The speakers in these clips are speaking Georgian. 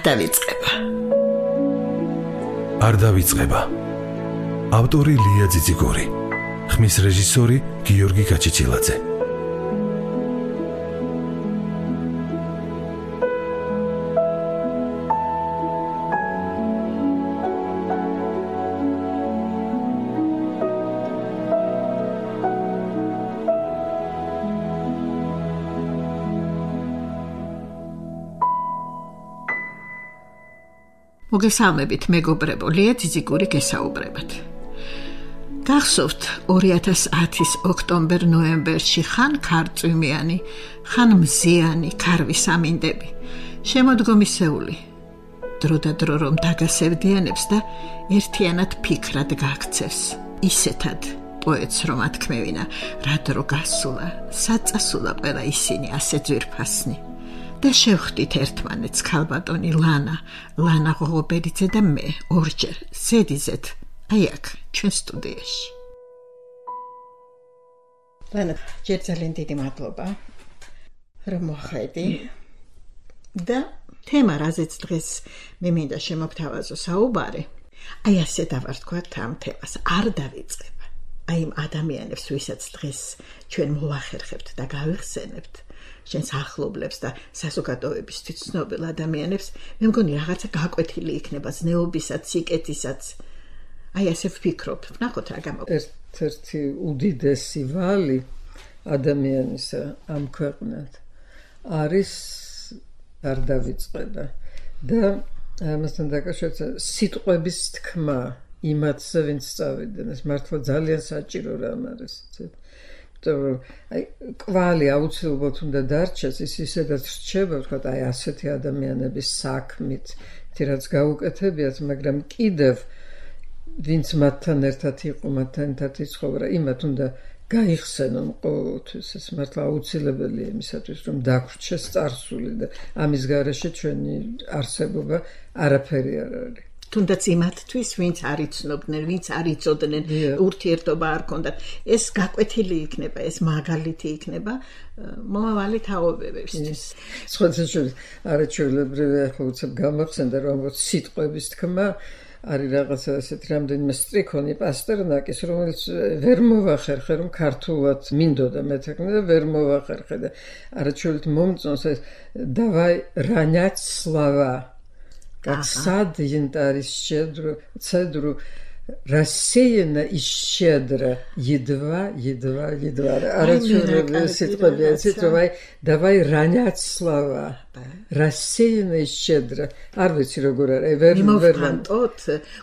დავიწყება. არ დავიწყება. ავტორი ლია ძიძიგური. ხმის რეჟისორი გიორგი გაჩიჩილაძე. მოგესალმებით მეგობრებო, ლია ძიძიგური გესაუბრებათ. გახსოვთ 2010-ის ოქტომბერ-ნოემბერში ხან ქარწვიმიანი, ხან მზიანი ქარვის ამინდები, შემოდგომისეული. დრო და დრო რომ დაგასევდიანებს და ერთიანად ფიქრად გაქცევს. ისეთად პოეტს რომ ათქმევინა, რა დრო გასულა, საწასულა ყველა ისინი ასე ძვირფასნი. და შევხვდით ერთმანეთს ქალბატონი ლანა ღობერიძე და მე ორჯერ ზედიზეთ აი აქ ჩვენ სტუდიაში. ლანა, ჯერ ძალიან დიდი მადლობა რომ მოხვედი და თემა რაზეც დღეს მე მინდა შემოგთავაზო საუბარი, აი ასე დავარქვათ ამ თემას, არ დავიწყება. აი იმ ადამიანებს, ვისაც დღეს ჩვენ მოვახერხებთ და გავიხსენებთ, ჩვენს ახლობლებს და საზოგადოებისთვის ცნობილ ადამიანებს, მე მგონი რაღაცა გაკვეთილი იქნება ზნეობისაც, სიკეთისაც. აი ასე ვფიქრობ, ვნახოთ რა გამოგონია. ერთ-ერთი უდიდესი ვალი ადამიანისა ამ ქვეყნად არის არ დავიწყება და ამასთან დაკავშირებით სიტყვების თქმა იმათზე, ვინც წავიდნენ, ეს მართლა ძალიან საჭირო რამ არის. აი კვალი აუცილებლად უნდა დარჩეს, ის ისედაც რჩება, ვთქვათ, აი ასეთი ადამიანების საქმით, რაც გაუკეთებიათ, მაგრამ კიდევ ვინც მათთან ერთად იყო, მათთან ერთად იცხოვრა, იმათ უნდა გაიხსენონ ყოველთვის. ეს მართლა აუცილებელია იმისათვის, რომ დაგვრჩეს წარსული და ამის გარეშე ჩვენი არსებობა არაფერი არ არის. თუნდაც იმათთვის, ვინც არ იცნობდნენ, ვინც არ იცოდნენ, ურთიერთობა არ ჰქონდათ, ეს გაკვეთილი იქნება, ეს მაგალითი იქნება მომავალი თაობებისთვის. სხვათაშორის არაჩვეულებრივია, ახლა უცებ გამახსენდა, რომ სიტყვების თქმა არის რაღაცა ასეთი რამდენიმე სტრიქონი პასტერნაკის, რომელიც ვერ მოვახერხე, რომ ქართულად მინდოდა მეთქმე და ვერ მოვახერხე და არაჩვეულით მომწონს ეს დავაი ранять слова. Как сад янтарь цедру рассеяно и щедро, едва. Давай ранять слова. Рассеяно и щедро. Арвици როგორ არის? მიმოვფანტოთ,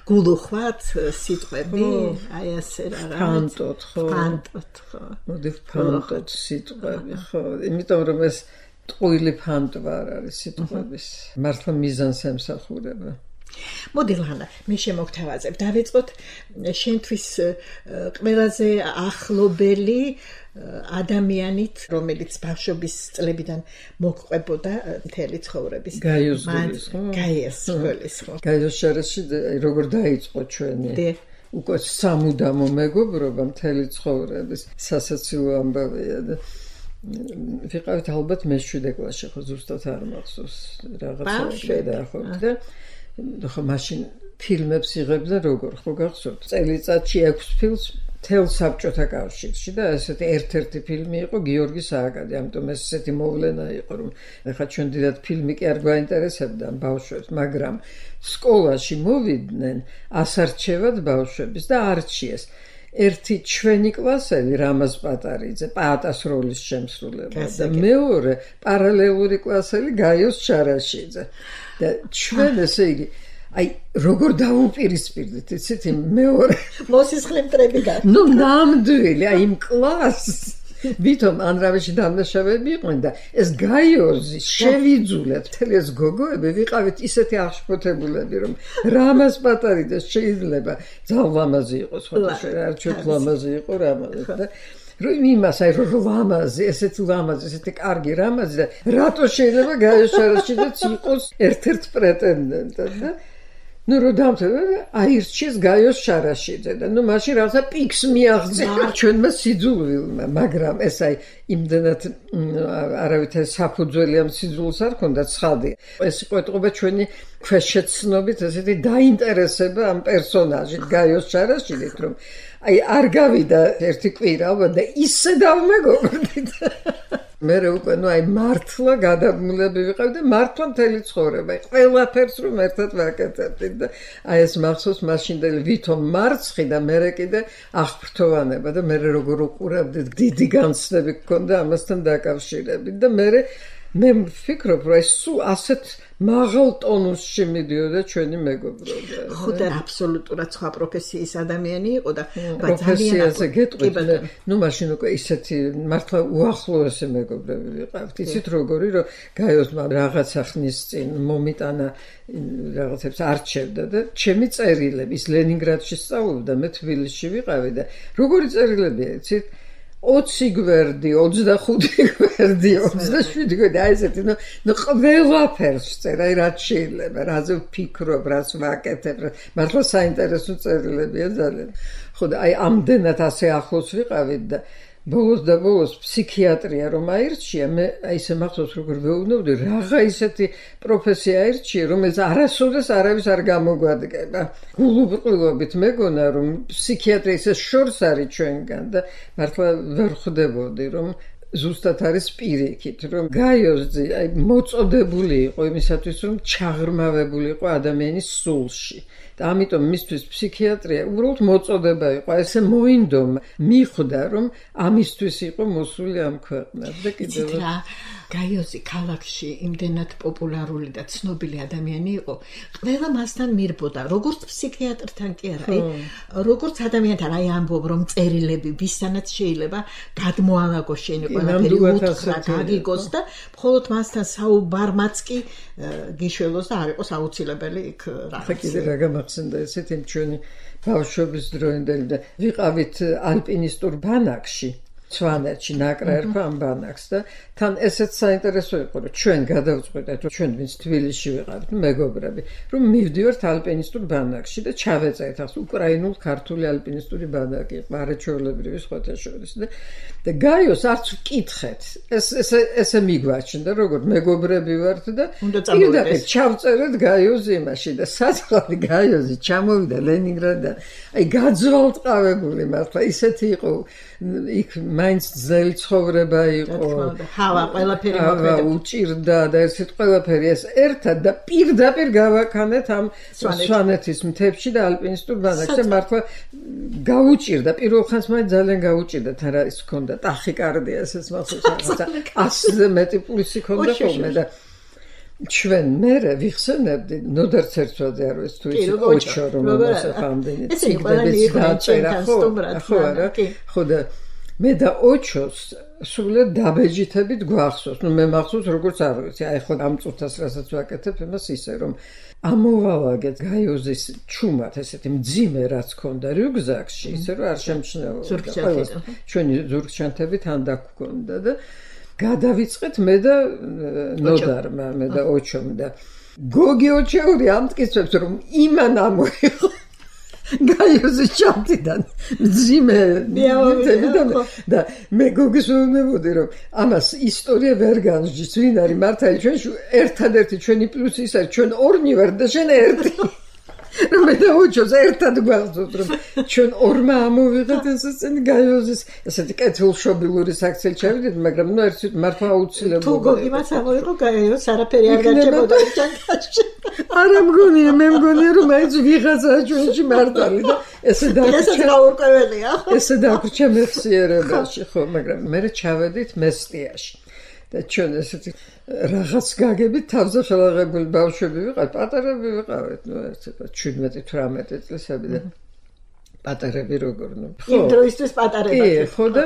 გულუხვათ სიტყვები, აი ასე რა. ფანტოთ, ხო. მოდი ვფანტოთ სიტყვები, ხო. იმიტომ რომ ეს ტყუილი ფანტვა არ არის სიტყვების. მართლა მიზანს ემსახურება. მოდი ლანა, მე შემოგთავაზებ, დავიწყოთ შენთვის ყველაზე ახლობელი ადამიანით, რომელიც ბავშვობის წლებიდან მოგყვებოდა მთელი ცხოვრების. გაიოს გულის, ხო? გაიოს შარაში როგორ დაიწყო ჩვენი უკვე სამუდამო მეგობრობა მთელი ცხოვრების. სასაცილო ამბავია და ვიყავით ალბათ მე-7 კლასში, ხო ზუსტად არ მახსოვს რაღაცა დაახოთ და ხო მაშინ ფილმებს იღებდა როგორ, ხო გახსოვთ? წელიწადში 6 ფილმს მთელ საბჭოთა კავშირში და ესეთი ერთ-ერთი ფილმი იყო გიორგი სააკადი, ამიტომ ეს ესეთი მოვლენა იყო, რომ ეხლა ჩვენ დიდად ფილმი კი არ გვაინტერესებდა ბავშვებს, მაგრამ სკოლაში მოვიდნენ ასარჩევად ბავშვების და არჩიეს. ერთი ჩვენი კლასელი რამაზ პატარიძე, პაატას როლის შემსრულება და მეორე პარალელური კლასელი გაიოს ჩარაშიძე. და ჩვენ ესე იგი აი როგორ დავუპირისპირდით, იცით, იმ მეორე მოსისხლე მტრები გაქვს. ნუ ნამდვილი, აი იმ კლასს ვითომ ანრავეში დამნაშავეები იყვნენ და ეს გაიოზი შევიძულეთ, მთელი ეს გოგოები ვიყავით ისეთი აღშფოთებულები, რომ რამაზ პატარიძეს შეიძლება ძალიან ლამაზი იყოს, ხოთაშე არ ჩვენ ლამაზი იყო რამაზი და რომ იმას აი რომ ლამაზი, ესეთი ლამაზი, ესეთი კარგი რამაზი და რატო შეიძლება გაიოს ჩარაშიძეც იყოს ერთ-ერთ პრეტენდენტად და ნუ რო დამთავრდა აირჩიეს გაიოს შარაშიძე და ნუ მაშინ რაღაცა პიქს მიაღწია ჩვენმა სიძულვილმა, მაგრამ ეს აი იმდენად არავითარი საფუძველი ამ სიძულს არ ქონდა ცხადი. ეს იყო ეთყობა ჩვენი ქვეშეცნობით ესეთი დაინტერესება ამ პერსონაჟით გაიოს შარაშიძით, რომ აი არ გავიდა ერთი კვირა და ისე დავმეგობრდით. მე უკვე ნუ აი მართლა გადაბმულები ვიყავ და მართლა მთელი ცხოვრება ყველაფერს რომ ერთად ვაკეთებდით და აი ეს მახსოვს მაშინდელი ვითომ მარცხი და მე კიდე აღფრთოვანება და მე როგორ უყურებდით დიდი განცდები გქონდა ამასთან დაკავშირებით და მე ვფიქრობ რომ ეს სულ ასეთ მაღალ ტონუსში მიდიოდა ჩვენი მეგობრობა. ხო და აბსოლუტურად სხვა პროფესიის ადამიანი იყო და პროფესიაზე გეტყვით ნუ მაშინ უკვე ისეთი მართლა უახლოესი მეგობრები ვიყავთ. იცით როგორი რომ გაიოს რაღაცა ხნის წინ მომიტანა რაღაცებს არჩევდა და ჩემი წერილები ის ლენინგრადში სწავლობდა, მე თბილისში ვიყავი და როგორი წერილებია იცით 20 გვერდი, 25 გვერდი, 27 გვერდი, აი ესეთი, ნუ ყველაფერს წერ, აი რაც შეიძლება, რაზე ვფიქრობ, რაც ვაკეთებ, მართლა საინტერესო წერილებია ძალიან. ხო და აი ამდენად ასე ახლოს ვიყავით და ბოლოს ფსიქიატრია რომ აირჩია, მე აი ესე მახსოვს როგორ ვეუბნებოდი, რაღა ისეთი პროფესია აირჩია, რომელიც არასოდეს არავის არ გამოგვადგება. გულუბრყვილობით მეგონა რომ ფსიქიატრია ისე შორს არის ჩვენგან და მართლა ვერ ხვდებოდი რომ ზუსტად არის პირიქით, რომ გაიოზი აი მოწოდებული იყო იმისათვის, რომ ჩაღრმავებული იყო ადამიანის სულში. და ამიტომ მისთვის ფსიქიატრია უბრალოდ მოწოდება იყო, ესე მოინდომა, მიხვდა რომ ამისთვის იყო მოსული ამ ქვეყნად და კიდევ გაიოზი ქალაქში იმდენად პოპულარული და ცნობილი ადამიანი იყო, ყველა მასთან მირბოდა, როგორც ფსიქიატრთან კი არა, როგორც ადამიანთან, აი ამბობ რომ წერილები ვისთანაც შეიძლება გადმოალაგოს შენი ყველაფერი უთხრა გაგიგოს და მხოლოდ მასთან საუბარმაც კი გიშველოს და არ იყოს აუცილებელი იქ რაღაცა. კიდე რა გამახსენდა ესეთი ჩვენი ბავშვობის დროინდელი და ვიყავით ალპინისტურ ბანაკში სვანეთში ნაკრა ერქვა ამ ბანაკს და თან ესეც საინტერესო იყო რომ ჩვენ გადავწყვეტეთ რომ ჩვენ ვინც თბილისში ვიყავით მეგობრები რომ მივდივართ ალპინისტურ ბანაკში და ჩავეწერეთ ახლა უკრაინულ ქართული ალპინისტური ბანაკი არაჩვეულებრივი სხვათა შორის და გაიოს არც ვკითხეთ ესე მიგვაჩნდა როგორ მეგობრები ვართ და პირდაპირ ჩავწერეთ გაიოს იმაში და საწყალი გაიოსი ჩამოვიდა ლენინგრადიდან აი გაძვალტყავებული მართლა ისეთი იყო იქ მაინც ძნელი ცხოვრება იყო ჰავა ყველაფერი მოქმედება უჭირდა და ესეთ ყველაფერი ეს ერთად და პირდაპირ გავაქანეთ ამ სვანეთის მთებში და ალპინისტურ ბანაკში მართლა გაუჭირდა პირველ ხანს მაინც ძალიან გაუჭირდა თან რა ის ქონდა ტახიკარდია ესეც მახსოვს 100-ზე მეტი პულსი ქონდა ხოლმე და ჩვენ მერე ვიხსენებდი ნოდარცერცვაძე არ ვიცი თუ ის ოჩო რომ მოსაფამდენი ციგნებიც დაწერა ხო არა ხო და მე და ოჩოს სულად დაბეჯითებით გვახსოვს ნუ მე მახსოვს როგორც არ ვიცი აი ხო ამ წუთას რასაც ვაკეთებ იმას ისე რომ ამოვალაგეთ გაიოზის ჩუმად ესეთი მძიმე რაც ქონდა რიუგზაკში ისე რომ არ შემჩნეულობდა ჩვენი ზურგჩანთები თან დაგქონდა და გადავიწყეთ მე და ნოდარმა მე და ოჩომ და გოგი ოჩეული ამტკიცებს რომ იმან ამოიღო გაიოზის ჩანთიდან მძიმე და მე გოგის ვეუბნებოდი რომ ამას ისტორია ვერ განსჯის ვინ არის მართალი ჩვენში ერთადერთი ჩვენი პლუსი ის არის ჩვენ ორნი ვარ და შენ ერთი რომ მე და ოჩოს ერთად გვახსოვს რომ ჩვენ ორმა ამოვიღეთ ესეცენი გაიოზის ესეთი კეთილშობილური საქციელი ჩავიდეთ მაგრამ ნუ ერთ მართლა აუცილებლობა თუ გოგიმაც ამოიღო გაიოზს არაფერი არ გარჩებოდა ჩანთაში არა მგონია მე მგონია რომ მაინც ვიღაცაა ჩვენში მართალი და ესე დაგვრჩა მეხსიერებაში ხო მაგრამ მე ჩავედით მესტიაში და ჩვენ ესეთი რაღაც გაგებით თავზე ხელაღებული ბავშვები ვიყავით, პატარები ვიყავით, ნუ ეს 17-18 წლისები და პატარები როგორ ნუ ხო იმ დროისთვის პატარებად ხო და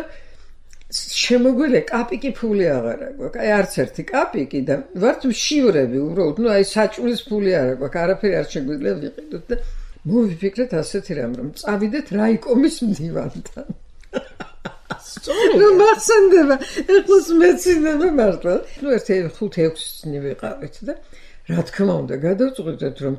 შემოგვიძლია კაპიკი ფული აღარ აქვს აი არც ერთი კაპიკი და ვართ მშივრები უბრალოდ ნუ აი საჭმლის ფული არ აქვს არაფერი არ შეგვიძლია ვიყიდოთ და მოვიფიქრეთ ასეთი რამ რომ წავიდეთ რაიკომის მდივანთან ნუ მახსენდება ეხლას მეცინდება მართლა ნუ ერთი 5-6 წლი ვიყავით და რა თქმა უნდა გადავწყვეტეთ რომ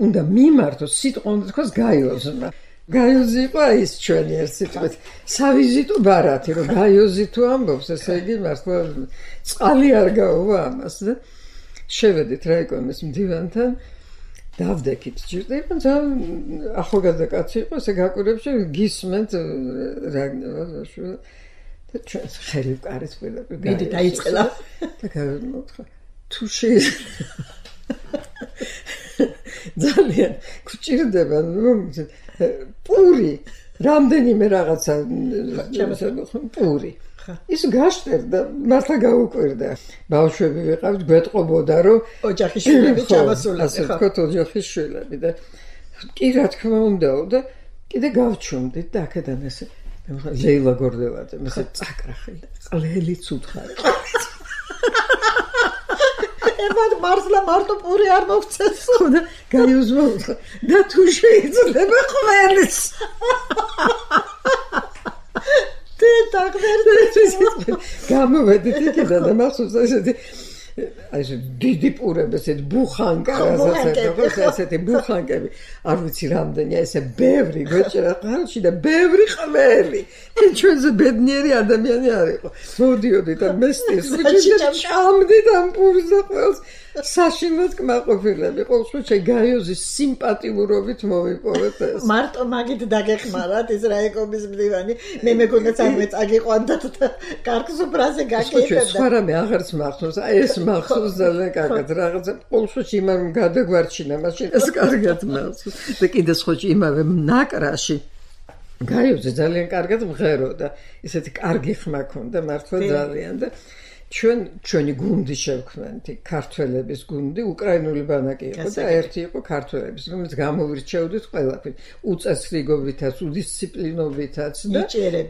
უნდა მიმართოს სიტყვა უნდა თქვას გაიოზმა. გაიოზი იყო ის ჩვენი ერთ სიტყვით სავიზიტო ბარათი, რომ გაიოზი თუ ამბობს, ესე იგი მართლა წყალი არ გაუვა ამას და შევედით რაიკომის მდივანთან. დავდექით ჭირდება ძალიან ახალგაზრდა კაცი იყო ესე გაკვირვებში გისმენთ რაგნევაშვილ და ჩვენ ხელი ვკარით ყველაფერი მიდი დაიწყელა და გამოვთხრა თუ ძალიან გჭირდება რომ პური რამდენიმე რაღაცა პური ის გაშტერდა მართლა გაუკვირდა ბავშვები ვიყავთ გვეტყობოდა რომ ოჯახის შვილები ჩამოსულები ასე ვთქვათ ოჯახის შვილები და კი რა თქმა უნდაო და კიდე გავჩუმდით და აქედან ესე ლეილა გორდელაძე ესე წაკრახე ყველიც უთხარი ემად მართლა მარტო პური არ მოგცეს და გაიოზმა და თუ შეიძლება ყველიც გამოვედით იქიდან და მახსოვს ესეთი დიდი პურები ესეთი ბუხანკა ესეთი ბუხანკები არ ვიცი რამდენია ესე ბევრი გვეჭერა ყალში და ბევრი ყველი ჩვენზე ბედნიერი ადამიანი არ იყო მოდიოდით და მესტის უჩინდა ჭამდით ამ პურს და ყველს საშინლად კმაყოფილები ყოველ შემთხვევაში გაიოზის სიმპათიურობით მოვიპოვეთ ეს მარტო მაგით დაგეხმარათ ეს რაიკომის მდივანი მე მეგონა წარმოე წაგიყვანდათ და კარგს უბრაზე გაკეთებდა სხვა რამე აღარც მახსოვს აი ეს მახსოვს ძალიან კარგად რაღაცა ყოველ შემთხვევაში იმან გადაგვარჩინა მაშინ ეს კარგად მახსოვს და კიდე სხვა იმავე ნაკრაში გაიოზი ძალიან კარგად მღეროდა ისეთი კარგი ხმა ქონდა მართლა ძალიან და ჩვენი გუნდი შევქმნით ქართველების გუნდი უკრაინული ბანაკი იყო და ერთი იყო ქართველების რომელიც გამოირჩეოდით ყველაფრით უწესრიგობითაც უდისციპლინოვითაც და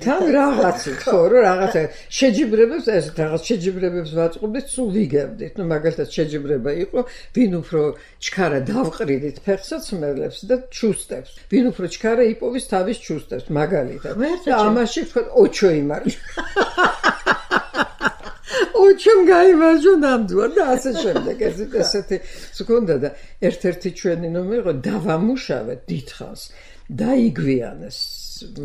თან რაღაცით ხო რომ რაღაცა შეჯიბრებებს ეს რაღაც შეჯიბრებებს ვაწყობდით სულ ვიგებდით ნუ მაგალითად შეჯიბრება იყო ვინ უფრო ჩქარა დავყრიდით ფეხსაც მელებს და ჩუსტებს ვინ უფრო ჩქარა იპოვის თავის ჩუსტებს მაგალითად და ამაში თქვა ოჩო იმარჯვა ოჩომ გაიმარჯვა ნამდვილად და ასე შემდეგ ესეთი სკონდა და ერთ-ერთი ჩვენი ნომერი იყო დავამუშავეთ დიდხანს დაიგვიანეს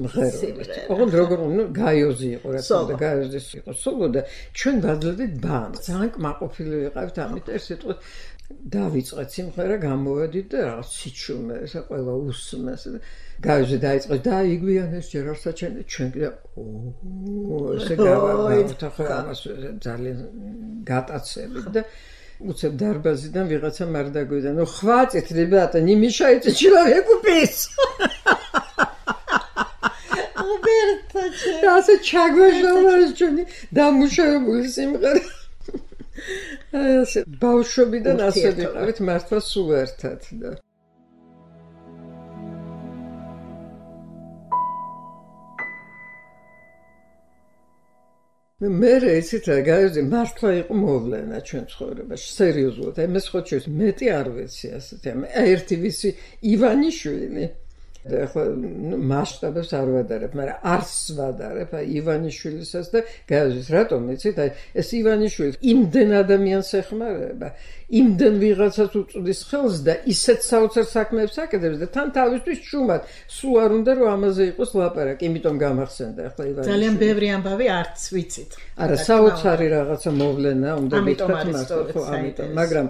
მღერობით ოღონდ როგორ ნუ გაიოზი იყო რა თქმა უნდა გაიოზის იყო სოლო და ჩვენ ვაძლევდით ბანს ძალიან კმაყოფილი ვიყავით ამით ეს სიტყვით დავიწყეთ სიმღერა გამოვედით და რაღაც სიჩუმე ესე ყველა უსმეს გაიოზი დაიწყეს დაიგვიანეს ჯერ არ საჩენე ჩვენ კიდე ესე გავარდა ხო ამას ძალიან გატაცებით და უცებ დარბაზიდან ვიღაცა მარდაგვიდა ну хватит ребята не мешайте человеку петь ასე ჩაგვეშალა ჩვენი დამუშავებული სიმღერა ასე ბავშვობიდან ასე ვიყავით მართლა სულ ერთად და მე იცით რა გაიოზი მართლა იყო მოვლენა ჩვენ ცხოვრებაში სერიოზულად აი მე სხვა ჩვენს მეტი არ ვიცი ასეთი ერთი ვიცი ივანიშვილი და ახლა მასშტაბებს არ ვადარებ მაგრამ არს ვადარებ აი ივანიშვილისაც და გაიოზის რატომ იცით აი ეს ივანიშვილი იმდენ ადამიანს ეხმარება იმდენ ვიღაცას უწვდის ხელს და ისეთ საოცარ საქმეებს აკეთებს და თან თავისთვის შუმად სულ არ უნდა რომ ამაზე იყოს ლაპარაკი იმიტომ გამახსენდა ახლა ივანიშვილი ძალიან ბევრი ამბავი არც ვიცით არა საოცარი რაღაცა მოვლენა უნდა ვიტყვათ ხო ამიტომ მაგრამ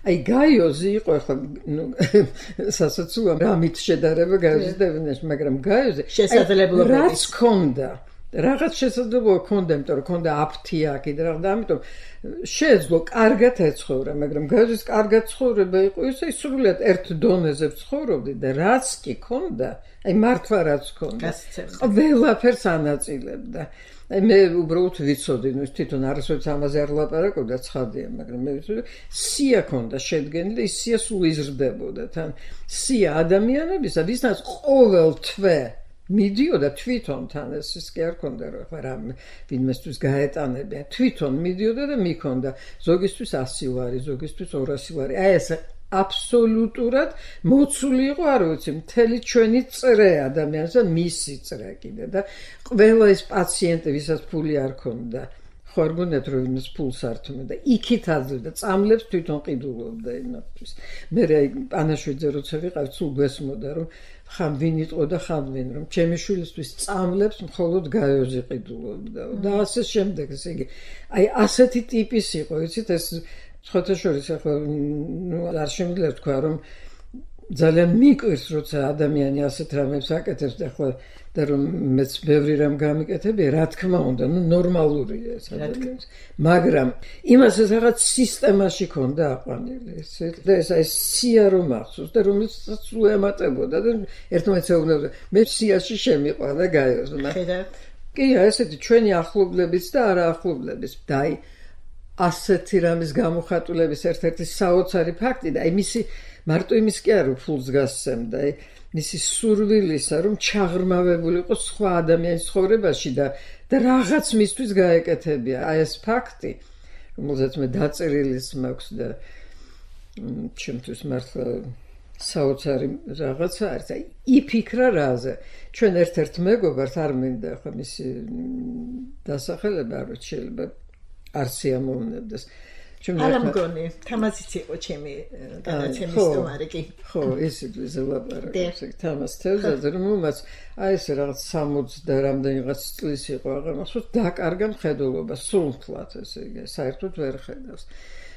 აი გაიოზი იყო ახლა ნუ სასაცულა რამით შედარება გაიოზის და ევენეში მაგრამ გაიოზი შესაძლებლობები რაც ქონდა რაღაც შესაძლებლობა ქონდა იმიტომ რომ ქონდა აფთიაკი და რაღაც ამიტომ შეეძლო კარგად ეცხოვრა მაგრამ გაიოზის კარგად ცხოვრება იყო ისე სრულიად ერთ დონეზე ცხოვრობდი და რაც კი ქონდა აი მართლა რაც ქონდა ყველაფერს ანაწილებდა მე უბრალოდ ვიცოდი ნუ თვითონ არასოდეს ამაზე არ ლაპარაკობდა ცხადია მაგრამ მე ვიცოდი სია ქონდა შედგენილი და ის სია სულ იზრდებოდა თან სია ადამიანებისა ვისაც ყოველ თვე მიდიოდა თვითონ თან ეს კი არ ქონდა რომ ახლა რა ვინმესთვის გაეტანებია თვითონ მიდიოდა და მიქონდა ზოგისთვის 100 ლარი ზოგისთვის 200 ლარი აი ეს აბსოლუტურად მოცული იყო არ ვიცი მთელი ჩვენი წრე ადამიანს და მისი წრე კიდე და ყველა ეს პაციენტი ვისაც ფული არ ქონდა ხო არ გონიათ რომ იმის ფულს ართმევდა და იქით აძლევდა წამლებს თვითონ ყიდულობდა იმათვის მე პანაშვიძე როცა ვიყავ სულ გვესმოდა რომ ხან ვინ იტყო და ხან ვინ რომ ჩემი შვილისთვის წამლებს მხოლოდ გაიოზი ყიდულობდა და ასე შემდეგ ესე იგი აი ასეთი ტიპის იყო იცით ეს სხვათა შორის ახლა არ შემიძლია თქვა რომ ძალიან მიკვირს როცა ადამიანი ასეთ რამებს აკეთებს და ახლა და რომ მეც ბევრი რამ გამიკეთებია რა თქმა უნდა ნორმალურია ეს ადამიანს მაგრამ იმას ეს რაღაც სისტემაში ქონდა აყვანილი და ეს აი სია რომ ახსოვს და რომელსაც სულ ემატებოდა და ერთმანეთს ეუბნებოდა მე სიაში შემიყვანა გაიოზმა კი ესეთი ჩვენი ახლობლების და არაახლობლების და აი ასეთი რამის გამოხატულების ერთ-ერთი საოცარი ფაქტი და აი მისი მარტო იმის კი არა ფულს გასცემდა აი მისი სურვილისა რომ ჩაღრმავებული იყო სხვა ადამიანის ცხოვრებაში და რაღაც მისთვის გაეკეთებია აი ეს ფაქტი რომელზეც მე დაწერილის მაქვს და ჩემთვის მართლა საოცარი რაღაცა არის აი იფიქრა რაზე ჩვენ ერთ-ერთ მეგობარს არ მინდა ხო მისი დასახელება არ შეიძლება არ სიამოვნებდეს არ მგონი თამაზიც იყო ჩემი გადაცემის სტუმარი კი ხო ისიც ვიზელაპარაკე თამაზ თევზაძე რომ უმაც აი ეს რაღაც 60 და რამდენიღაც წლის იყო აღარ მახსოვს დაკარგა მხედველობა სულთლად ესე იგი საერთოდ ვერ ხედავს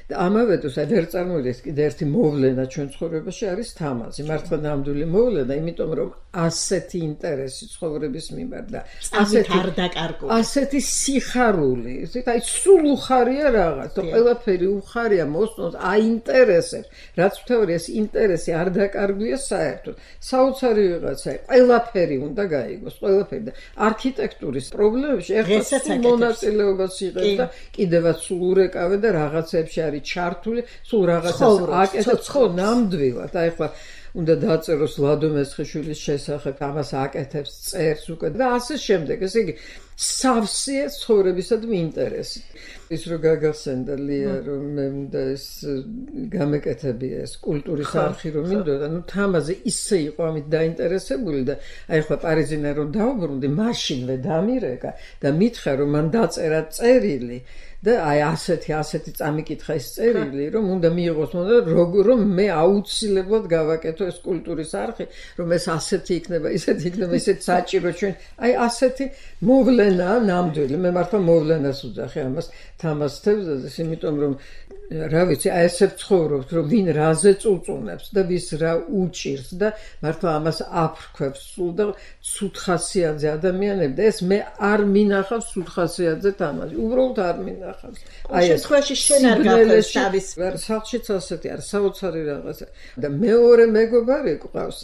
და ამავე დროს აი ვერ წარმოიდგენთ კიდე ერთი მოვლენა ჩვენ ცხოვრებაში არის თამაზი მართლა ნამდვილი მოვლენა იმიტომ რომ ასეთი ინტერესი ცხოვრების მიმართ და ასეთი სიხარული ისეთ აი სულ უხარია რაღაც და ყველაფერი უხარია მოსწონს აინტერესებს რაც ვთქვი ეს ინტერესი არ დაკარგვია საერთოდ საოცარი ვიღაცა ყველაფერი უნდა გაიგოს ყველაფერი და არქიტექტურის პრობლემებში ეხლა მონაწილეობას იღებს და კიდევაც სულ ურეკავე და რაღაცებში არის ჩართული სულ რაღაცას აკეთებს ხო ნამდვილად აი ხა უნდა დაწეროს ლადო მესხიშვილის შესახებ ამას აკეთებს წერს უკვე და ასე შემდეგ ესე იგი სავსეა ცხოვრებისადმი ინტერესი ის რო გაგახსენდა ლია რომ მე უნდა ეს გამეკეთებია ეს კულტურის არხი რომ მინდოდა ნუ თამაზე ისე იყო ამით დაინტერესებული და აი ხა პარიზინა რომ დავბრუნდი მაშინვე დამირეკა და მითხრა რომ მან დაწერა წერილი და აი ასეთი წამიკითხა ის წერილი რომ უნდა მიიღოს მონდა რომ მე აუცილებლად გავაკეთო ეს კულტურის არხი რომ ეს ასეთი იქნება ისეთ საჭირო ჩვენ აი ასეთი მოვლენა ნამდვილი მე მართლა მოვლენას ვუძახი ამას თამაზ თევზაძეს იმიტომ რომ რა ვიცი აი ესე ცხოვრობთ რომ ვინ რაზე წუწუნებს და ვის რა უჭირს და მართლა ამას აფრქვევს სულ და ცუთხასიათზე ადამიანები და ეს მე არ მინახავს ცუთხასიათზე თამაზი უბრალოდ არ მინახავს აი შემთხვევაში შენ არ გაფრთხილდეს თავის სახლშიც ასეთი არის საოცარი რაღაცა და მეორე მეგობარი ყავს